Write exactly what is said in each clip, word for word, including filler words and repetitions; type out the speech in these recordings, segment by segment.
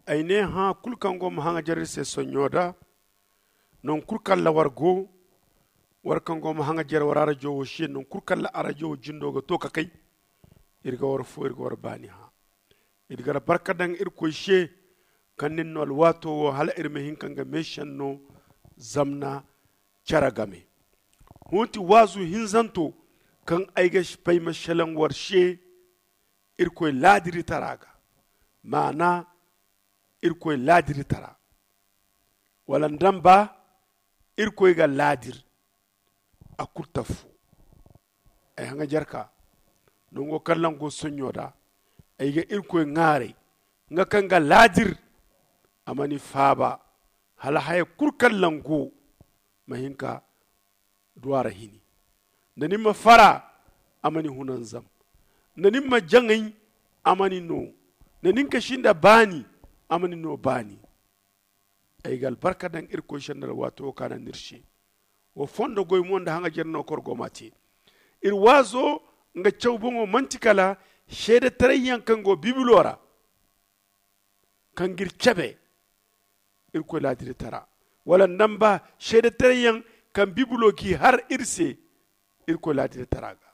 Ay ne hã kulu kaŋ go ma haŋajer iri se sonɲo da. Nangu kulu kaŋ ra war go, war kaŋ go ma haŋajer war arajo wo se nangu kulu kaŋ ra arajo wo jindo ga to ka kay. Iri ga war fo iri ga war baani hã. Iri ga albarka daŋ irkoy se kaŋ nin no alwaato wo hala iri ma hin ka nga meesenno zamna care game. Hõ ti waazu hinzanto kaŋ ay ga pay ma selaŋ war se. Irkoy laadiritara ga maana irkoy laadiritara wala nda ni ba irkoy ga laadir. A kulu tafu ay haŋajarka nango kaŋ lango sonɲo da ay ga irkoy ŋaaray nga kaŋ ga laadir. A ma ni faaba hala haya kulu kaŋ lango ma hin ka du a ra hini. Nda ni ma fara a ma ni hunanzam. Nda ni ma jaŋay a ma ni no. Nda ni ka sinda baani a ma ni no baani. Ay ga albarka daŋ irkoy sendal waato wo kaŋ a naŋ ni iri se. Wo fondo goy mo nda haŋajer no koro go ma te. Iri waazo nga caw boŋo manti kala seedetaray yaŋ kaŋ go bibilo ra kaŋ ga iri cabe. Irkoy laadiritara wala nda ni ba seedetaray yaŋ kaŋ bibilo g'i har iri se. Irkoy laadiritara ga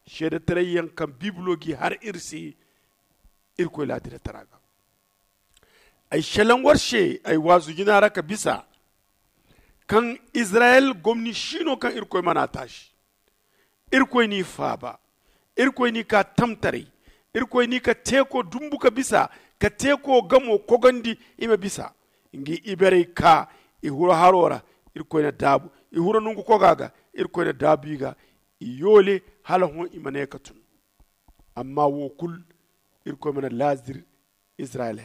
seedetaray yaŋ kaŋ bibilo g'i har iri se. Irkoy laadiritara ga ay selaŋ war se ay waazu jina ra ka bisa kaŋ izirayel gomni siino kaŋ irkoy mana taasi. Irkoy n'i faaba. Irkoy n'i ka tamtaray. Irkoy n'i ka teeko dumbu ka bisa ka teeko gamo kogandi. I ma bisa ngi iberey ka i huru haro ra. Irkoy na daabu i huru nongu koga ga. Irkoy na daabu i ga i yoole hala hõ i ma ne ka tun. Amma wo kulu irkoy mana laadir izirayel.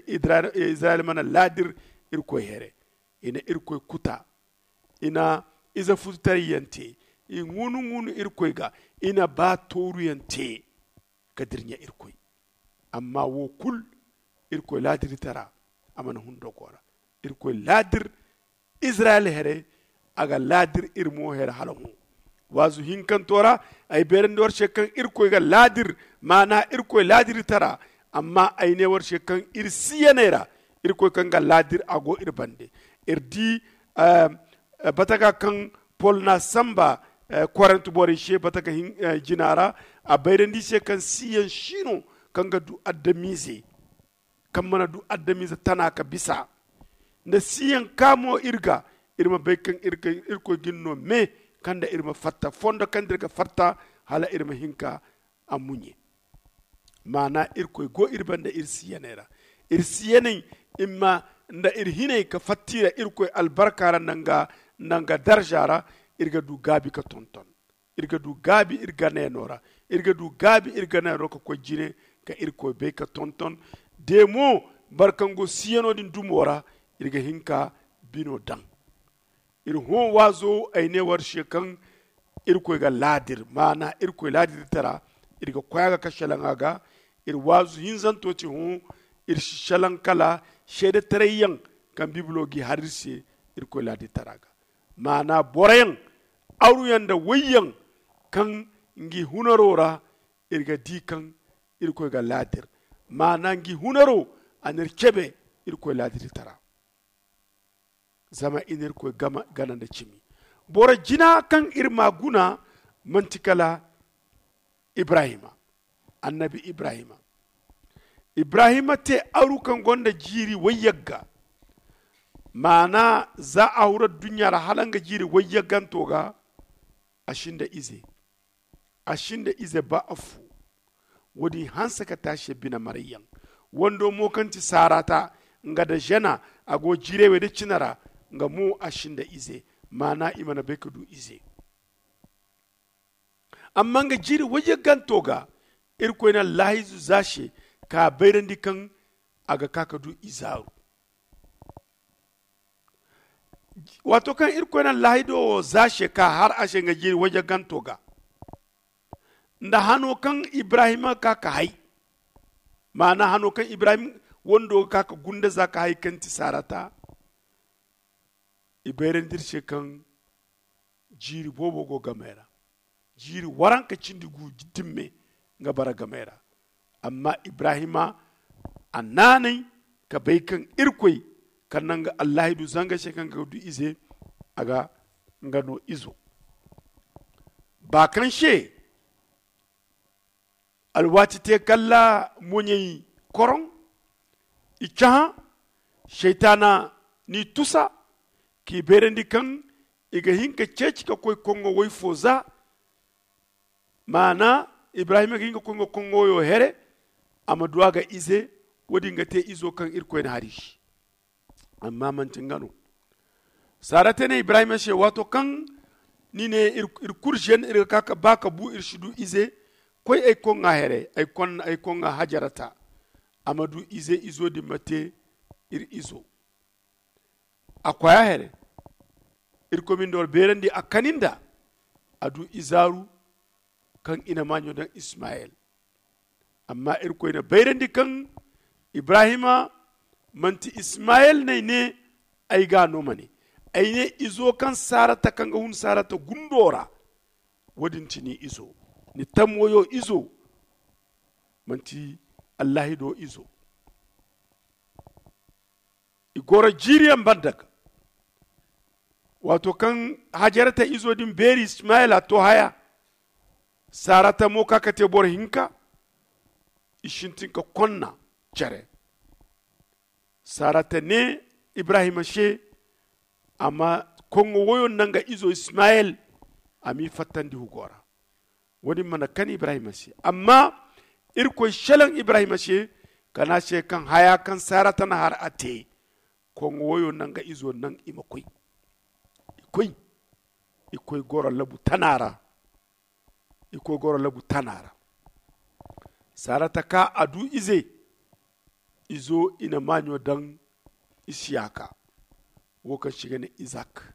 Izirayel mana laadir irkoy here. I na irkoy kuta. I na ize fututarayyaŋ te. I ŋuunu ŋuunu irkoy ga. I na ba tooruyaŋ te ka dirɲa irkoy. Amma wo kulu irkoy laadiritara a mana hun dogo ra. Irkoy laadir izirayel here. A ga laadir iri mo here hala hõ. Waazu hinkanto ra ay beerandi war se kaŋ irkoy ga laadir maana irkoy laadiritara. Amma ay ne war se kaŋ iri siyaney ra irkoy kaŋ ga laadir a go iri bande. Iri di bataka kaŋ pol na samba korent borey se bataka jina ra a bayrandi se kaŋ siyaŋ siino kaŋ ga du adamize kaŋ mana du adamize tana ka bisa nda siyaŋ ka mo iri ga. Iri ma bay kaŋ irkoy ga iri no me kaŋ nda iri ma fatta fondo kaŋ nda iri ga fatta hala iri ma hin ka a muɲe. Maana irkoy go iri banda iri siyaney ra. Iri siyaney i ma nda iri hinay ka fatta i ra irkoy albarka ra nda nga darza ra. Iri ga du gaabi ka tonton. Iri ga du gaabi iri ganayano ra. Iri ga du gaabi iri ganayano ka koy jine ka irkoy bay ka tonton. De mo boro kaŋ go siyano din dumo ra iri ga hin ka bino daŋ. Iri hõ waazo ay ne war se kaŋ irkoy ga laadir maana irkoy laadirtara. Iri ga koy a ga ka selaŋ a ga. Iri waazu hinzanto ti hõ iri si selaŋ kala seedetaray yaŋ kaŋ bibilo g'i har iri se. Irkoy laadirtara ga maana boroyaŋ aruyaŋ nda wayyaŋ kaŋ ngi hunaro ra. Iri ga di kaŋ irkoy ga laadir maana ngi hunaro a n'iri cebe. Irkoy laadirtara zama i n'irkoy gana nda cimi. Boro jina kaŋ iri ma guna manti kala ibrahima. Annabi ibrahima ibrahima te aru kaŋ gonda jiiri wayyagga. Maana za a huru adduɲɲa ra hala nga jiiri wayyagganto ga a sinda ize. A sinda ize ba afo. Wo-din hanse ka te a se bine marayyaŋ. Wando mo kaŋ ti saarata nga da zena a go jiirey wey da cine ra. Nga mo a sinda ize maana i mana bay ka du ize. Amma nga jiiri wayyagganto ga irkoy na laahizu za se ka bayrandi kaŋ a ga ka ka du izaaru. Waato kaŋ irkoy na laahido wo za se ka har a se nga jiiri wayyagganto ga nda hano kaŋ ibrahima ga ka ka hay. Maana hano kaŋ ibrahim wando ga ka ka gunda za ka hay kaŋ ti saarata. I bayrandi iri se kaŋ jiiri boobo go gamey ra. Jiiri waranka cindi gu dimme nga bara gamey ra. Amma ibrahima a naanay ka bay kaŋ irkoy kaŋ naŋ ga allahi du zanga se kaŋ ga du ize a ga nga no izo ba kaŋ se alwaati te kalla moɲey koroŋ i cahã seytaana n'i tusa k'i beerandi kaŋ i ga hin ka ceeci ka koy koŋŋo woy fo za maana ibrahima ga hin ka koy nga koŋŋo woyo here a ma du a ga ize. Wo- din ga te izo kaŋ irkoy na hari se amma manti nga no. Sarata ne ibrahima se waato kaŋ ni ne iri kulu se iri ga ka ba ka bu iri si du ize. Koy ay koŋŋa here ay koŋŋa hajarata a ma du ize izo din ma te iri izo. A koya here irkoy ma ni da wara beerandi a kani nda a du izaaru kaŋ i na maaɲo daŋ ismayel. Amma irkoy na bayrandi kaŋ ibrahima manti ismayel no ay ne ay ga no ma ne ay ne izo kaŋ sarata kaŋ ga hun sarata gundo ra. Wo- din ti ni izo ni tammoyo izo manti allahi do izo. I goro jiiriyaŋ banda ga waato kaŋ hajarata izo din beeri ismayel a to haya. Sarata mo ka ka te boro hinka i sintin ka konna care. Sarata ne ibrahima se a ma koŋŋo woyo naŋ ga izo ismayel a m'i fattandi hugo ra. Wo- din mana kani ibrahima se amma irkoy selaŋ ibrahima se ka ne a se kaŋ haya kaŋ sarata na har a te. Koŋŋo woyo naŋ ga izo naŋ i ma koy i koy i koy goro labu tana ra. I koy goro labu tana ra sarata ka a du ize. Izo i na maaɲo daŋ isiyaka wo kaŋ se i ga ne izak.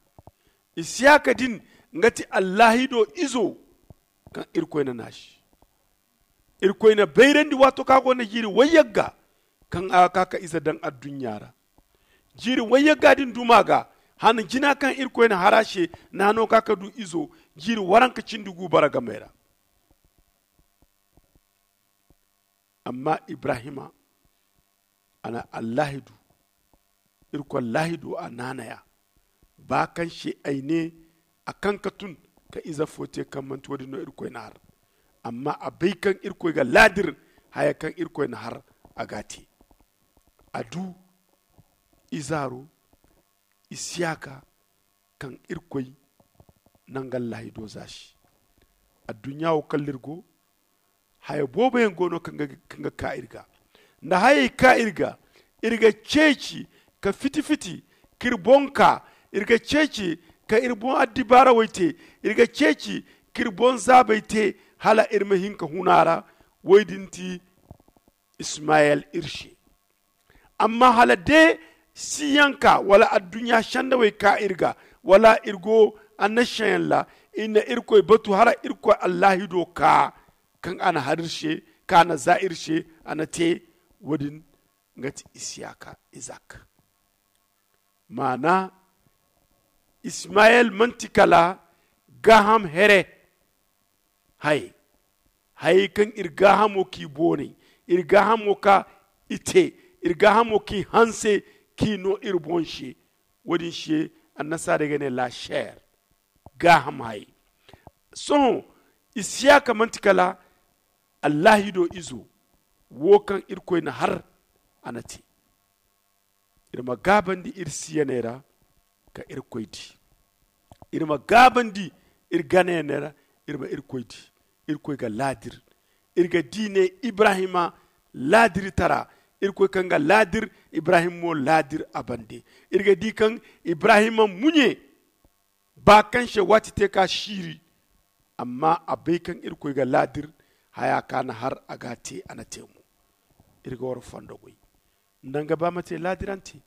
Isiyaka din nga ti allahido izo kaŋ irkoy na naasi. Irkoy na bayrandi waato kaŋ a go no jiiri wayyagga kaŋ a ga ka ka ize daŋ adduɲɲa ra. Jiiri wayyagga din duma ga hana jina kaŋ irkoy na har a se na hano ka ka du izo jiiri waranka cindi gu bara gamey ra. Amma ibrahima a na allahi du irkoy allahi du a naanaya ba kaŋ se ay ne a kaŋ ka tun ka ize fo te kaŋ manti wo- din no irkoy na har. Amma a bay kaŋ irkoy ga laadir haya kaŋ irkoy na har a ga a te. A du izaaro isiyaka kaŋ irkoy naŋ ga allahi do zaasi. Adduɲɲa wo kala iri go haya boobo yaŋ go no kaŋ ga ka iri ga nda hayey ka iri ga. Iri ga ceeci ka fiti fiti k'iri boŋ ka iri ga ceeci ka iri boŋ addibaara way te. Iri ga ceeci k'iri boŋ zaabay te hala iri ma hin ka hun a ra. Way din ti ismayel iri se. Amma hala de siyanka wala adduɲɲa sendawey ka iri ga wala iri go annasiyaŋ ra iri na irkoy batu hala irkoy allahido ka kaŋ a na har iri se kaŋ a na za iri se a na te. Wo- din nga ti isiyaka izak. Maana ismayel manti kala gaaham here. Hayey hayey kaŋ iri gaahamo k'i boonay iri gaahamo ka i te iri gaahamo k'i hanse k'i no iri boŋ se. Wo- din se annasaarey ga ne la chair. Gaaham hayey sohõ isiyaka manti kala allahido izo wo kaŋ irkoy na har a na te. Iri ma gaabandi iri siyaney ra ka irkoy di. Iri ma gaabandi iri ganayaney ra iri ma irkoy di. Irkoy ga laadir iri ga di ne ibrahima laadiritara. Irkoy kaŋ ga laadir ibrahim mo laadir a bande. Iri ga di kaŋ ibrahima muɲe ba kaŋ se waati te ka siiri. Amma a bay kaŋ irkoy ga laadir haya ka na har a ga te a na te mo. Iri ga war fondo goy nda nga ba ma te laadirante.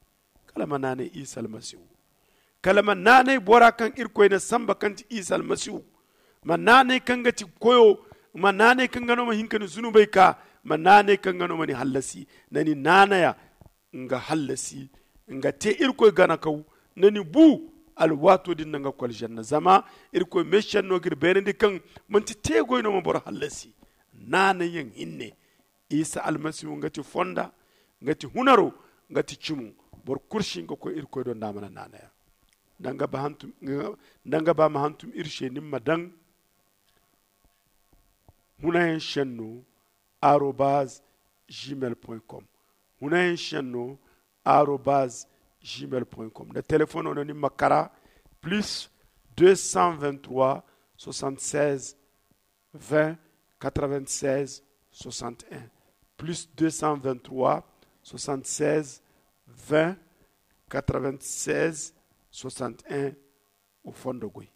Kala ma naanay isa almasihu kala ma naanay bora kaŋ irkoy na samba kaŋ ti isa almasihu. Ma naanay kaŋ ga ti koyo ma naanay kaŋ ga no ma hin ka ni zunubey ka ma naanay kaŋ ga no ma ni hallasi. Na ni naanaya nga hallasi nga te irkoy ganakaw. Na ni bu alwaato din na nga koljanna zama irkoy meesenno ga iri beerandi kaŋ manti teegoy no ma boro hallasi. Naanayyaŋ hinne isa almasihu nga ti fonda nga ti hunaro nga ti cimo. Boro kulu si hin ga koy irkoy do nda a mana naanay a. Nda nga ba ma hantum iri se ni ma daŋ hunayaŋ senno arobaz gmail point com. Hunayaŋ senno arobaz gmail point com. Nda telefono no ni ma kara plus deux cent vingt-trois soixante-seize vingt quatre-vingt-seize soixante-un, plus deux cent vingt-trois soixante-seize vingt quatre-vingt-seize soixante-un. O fondo goy.